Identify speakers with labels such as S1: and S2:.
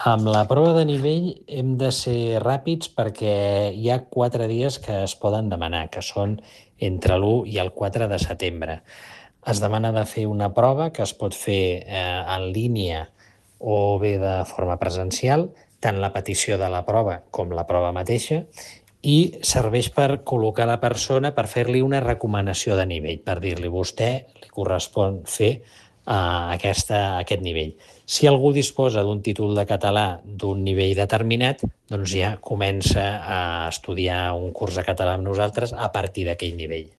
S1: Amb la prova de nivell hem de ser ràpids perquè hi ha 4 dies que es poden demanar, que són entre l'1 i el 4 de setembre. Es demana de fer una prova que es pot fer en línia o bé de forma presencial, tant la petició de la prova com la prova mateixa, i serveix per col·locar la persona, per fer-li una recomanació de nivell, per dir-li vostè li correspon fer aquest nivell. Si algú disposa d'un títol de català d'un nivell determinat, doncs ja comença a estudiar un curs de català amb nosaltres a partir d'aquell nivell.